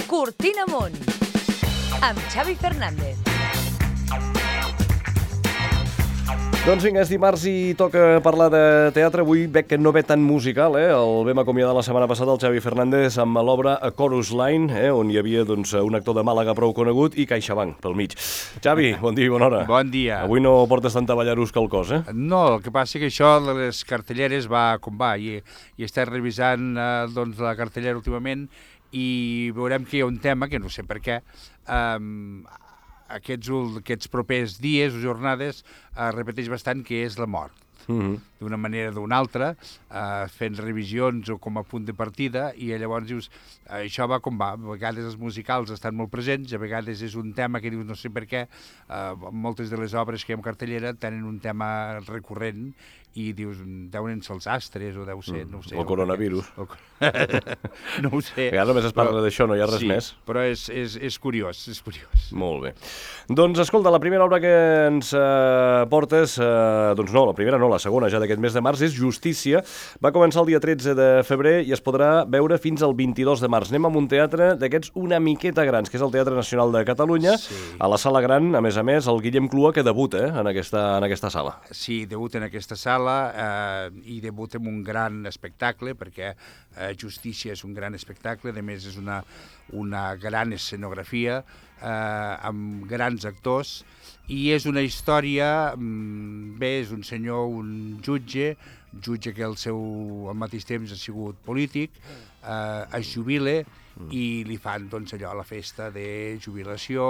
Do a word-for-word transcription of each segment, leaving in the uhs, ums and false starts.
Cortina Amunt, amb Xavi Fernández. Doncs vinga, és dimarts i toca parlar de teatre. Avui veig que no ve tan musical, eh? El vam acomiadar la setmana passada, el Xavi Fernández, amb l'obra A Chorus Line, eh? On hi havia doncs, un actor de Màlaga prou conegut i CaixaBank pel mig. Xavi, bon dia i bona hora. Bon dia. Avui no portes tanta ballarusca al cos, eh? No, el que passa que això de les cartelleres va com va, i, i estem revisant eh, doncs, la cartellera últimament i veurem que hi ha un tema, que no sé per què, eh, aquests, aquests propers dies o jornades es repeteix bastant, que és la mort. Mm-hmm. D'una manera o d'una altra, eh, fent revisions o com a punt de partida, i llavors dius, eh, això va com va. A vegades els musicals estan molt presents, a vegades és un tema que dius no sé per què, eh, moltes de les obres que hi ha en cartellera tenen un tema recurrent i dius, deuen ser els astres o deu ser, no ho sé. El coronavirus. El... no ho sé. A només es parla però, d'això, no hi ha res sí, més. Però és, és, és curiós, és curiós. Molt bé. Doncs escolta, la primera obra que ens eh, portes, eh, doncs no, la primera no, la segona ja d'aquest mes de març, és Justícia. Va començar el dia tretze de febrer i es podrà veure fins al vint-i-dos de març. Anem a un teatre d'aquests una miqueta grans, que és el Teatre Nacional de Catalunya. Sí. A la sala gran, a més a més, el Guillem Clua, que debuta eh, en, aquesta, en aquesta sala. Sí, debuta en aquesta sala eh, i debuta amb un gran espectacle, perquè eh, Justícia és un gran espectacle, a més és una, una gran escenografia, eh, amb grans actors, i és una història, bé, és un senyor, un jutge, jutge que al seu al mateix temps ha sigut polític, eh, es jubila i li fan doncs, allò, la festa de jubilació,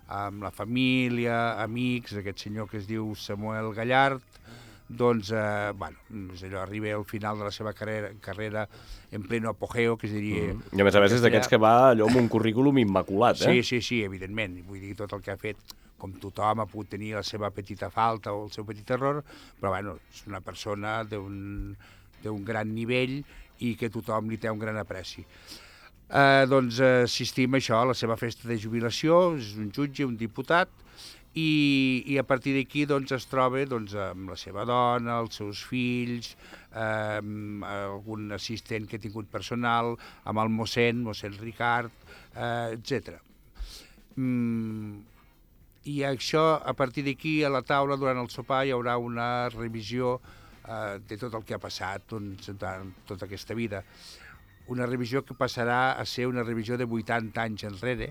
amb la família, amics, aquest senyor que es diu Samuel Gallard, doncs, eh, bueno, és allò, arriba al final de la seva carrera, carrera en pleno apogeo, que es diria... Mm. I a més a més és d'aquests que va allò amb un currículum immaculat, eh? Sí, sí, sí, evidentment. Vull dir, tot el que ha fet, com tothom ha pogut tenir la seva petita falta o el seu petit error, però, bueno, és una persona d'un d'un gran nivell i que tothom li té un gran apreci. Eh, doncs eh, assistim a això, a la seva festa de jubilació, és un jutge, un diputat, i, i a partir d'aquí doncs, es troba doncs, amb la seva dona, els seus fills, eh, algun assistent que ha tingut personal, amb el mossèn, mossèn Ricard, eh, etcètera. Mm, I això, a partir d'aquí, a la taula, durant el sopar, hi haurà una revisió eh, de tot el que ha passat doncs, durant tota aquesta vida. Una revisió que passarà a ser una revisió de vuitanta anys enrere,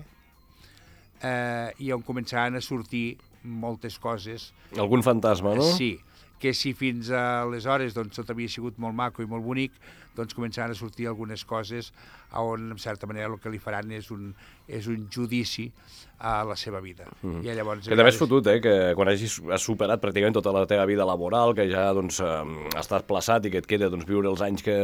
eh, i on començaran a sortir moltes coses. Algun fantasma, no? Sí, que si fins aleshores doncs, tot havia sigut molt maco i molt bonic, doncs començaran a sortir algunes coses on, en certa manera, el que li faran és un, és un judici a la seva vida. Mm. I llavors, que també és fotut, eh? Que quan hagis superat pràcticament tota la teva vida laboral, que ja doncs, estàs plaçat i que et queda doncs, viure els anys que,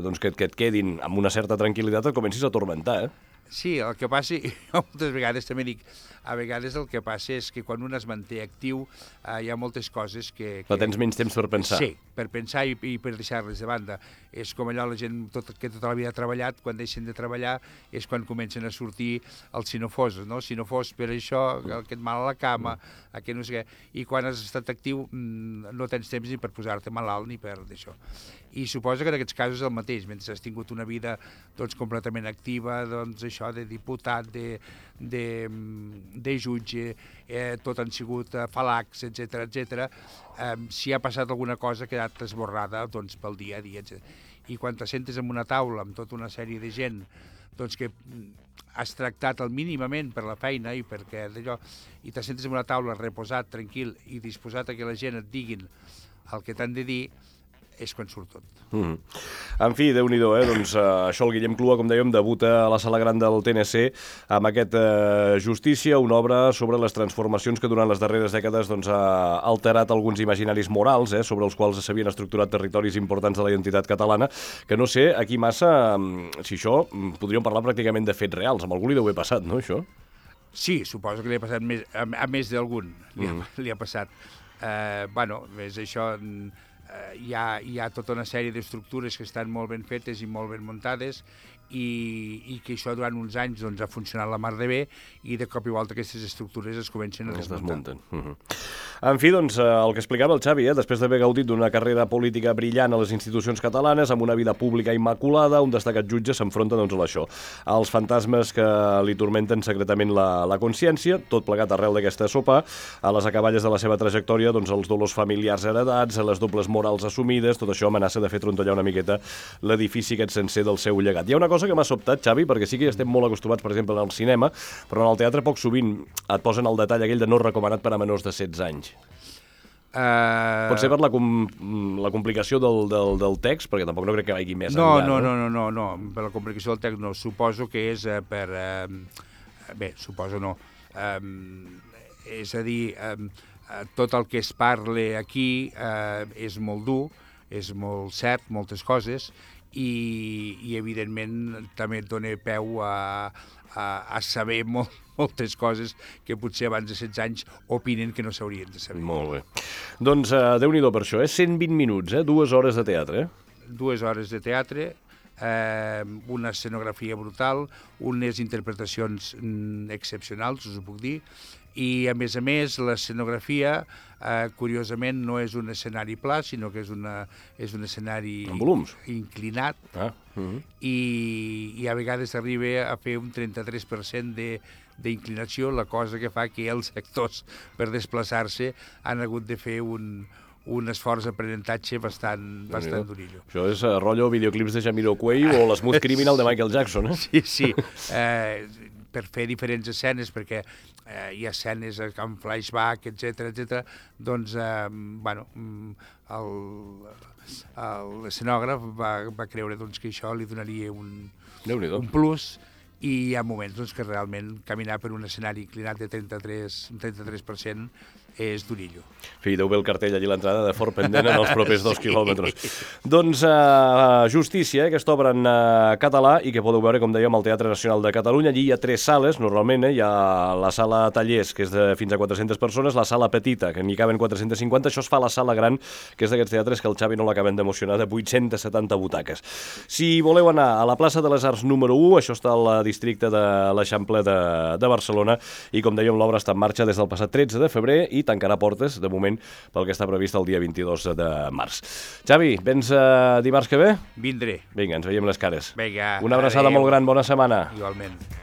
doncs, que, que et quedin amb una certa tranquil·litat, et comencis a tormentar, eh? Sí, el que passa, jo moltes vegades també dic, a vegades el que passa és que quan un es manté actiu eh, hi ha moltes coses que... que... Però tens menys temps per pensar. Sí, per pensar i, i per deixar-les de banda. És com allò la gent tot, que tota la vida ha treballat, quan deixen de treballar és quan comencen a sortir els sinofoses, no? Si no fos per això, aquest mal a la cama, aquest no sé què, i quan has estat actiu no tens temps ni per posar-te malalt ni per d'això. I suposa que en aquests casos és el mateix, mentre has tingut una vida doncs, completament activa, doncs això de diputat, de, de, de jutge, eh, tot han sigut eh, falacs, etcètera, etcètera. Eh, si ha passat alguna cosa ha quedat esborrada doncs, pel dia a dia, etcètera. I quan te sentes en una taula amb tota una sèrie de gent doncs, que has tractat el mínimament per la feina i perquè d'allò, i te sentes en una taula reposat, tranquil i disposat a que la gent et diguin el que t'han de dir, és quan surt tot. Mm. En fi, Déu-n'hi-do, eh? Doncs uh, això, el Guillem Clua, com dèiem, debuta a la sala gran del T N C amb aquest uh, Justícia, una obra sobre les transformacions que durant les darreres dècades doncs, ha alterat alguns imaginaris morals, eh? Sobre els quals s'havien estructurat territoris importants de la identitat catalana, que no sé, aquí massa, um, si això, um, podríem parlar pràcticament de fets reals. Amb algú li deu haver passat, no, això? Sí, suposo que li ha passat més, a, a més d'algun, li, mm. ha, li ha passat. Eh, bueno, és això... Hi ha, hi ha tota una sèrie d'estructures que estan molt ben fetes i molt ben muntades i, i que això durant uns anys doncs, ha funcionat la mar de bé i de cop i volta aquestes estructures es comencen a desmuntar. Uh -huh. En fi, doncs, el que explicava el Xavi, eh, després d'haver gaudit d'una carrera política brillant a les institucions catalanes, amb una vida pública immaculada, un destacat jutge s'enfronta doncs, a això, als fantasmes que li tormenten secretament la, la consciència, tot plegat arrel d'aquesta sopa, a les acaballes de la seva trajectòria, doncs, els dolors familiars heredats, a les dobles morals assumides, tot això amenaça de fer trontollar una miqueta l'edifici aquest sencer del seu llegat. Hi ha una cosa que m'ha sobtat, Xavi, perquè sí que ja estem molt acostumats, per exemple, al cinema, però en el teatre poc sovint et posen el detall aquell de no recomanat per a menors de setze anys. Uh... Pot ser per la, com, la complicació del, del, del text, perquè tampoc no crec que vagi més no, enllà. No, no, no, no, no, per la complicació del text no. Suposo que és uh, per... Uh, bé, suposo no. Um, és a dir, um, tot el que es parla aquí uh, és molt dur, és molt cert, moltes coses, i, i evidentment també et dona peu a, a, a saber molt, moltes coses que potser abans de setze anys opinen que no s'haurien de saber. Molt bé. Doncs uh, Déu-n'hi-do per això, eh? cent vint minuts, eh? dues hores de teatre. Eh? Dues hores de teatre, eh, una escenografia brutal, unes interpretacions mm, excepcionals, us ho puc dir, i a més a més l'escenografia eh, curiosament no és un escenari pla, sinó que és, una, és un escenari inclinat ah, uh -huh. i, i a vegades arriba a fer un trenta-tres per cent de d'inclinació, la cosa que fa que els actors per desplaçar-se han hagut de fer un, un esforç d'aprenentatge bastant, bastant durillo. Això és uh, rotllo videoclips de Jamiroquai o l'Smooth Criminal de Michael Jackson, eh? Sí, sí. Eh, per fer diferents escenes, perquè eh, hi ha escenes amb flashback, etcètera, etcètera, doncs, eh, bueno, l'escenògraf va, va creure doncs, que això li donaria un, un plus, i hi ha moments doncs, que realment caminar per un escenari inclinat de trenta-tres, un trenta-tres per cent és durillo. Sí, deu bé el cartell allí a l'entrada de fort pendent en els propers dos quilòmetres. Doncs uh, Justícia, eh, aquesta obra en uh, català i que podeu veure, com dèiem, al Teatre Nacional de Catalunya. Allí hi ha tres sales, normalment, eh? Hi ha la sala tallers, que és de fins a quatre-centes persones, la sala petita, que n'hi caben quatre-centes cinquanta, això es fa a la sala gran, que és d'aquests teatres que el Xavi no l'acaben d'emocionar, de vuit-centes setanta butaques. Si voleu anar a la plaça de les Arts número u, això està al districte de l'Eixample de, de Barcelona, i com dèiem, l'obra està en marxa des del passat tretze de febrer i tancarà portes, de moment, pel que està previst el dia vint-i-dos de març. Xavi, vens uh, dimarts que ve? Vindré. Vinga, ens veiem les cares. Vinga. Una abraçada adeu. Molt gran, bona setmana. Igualment.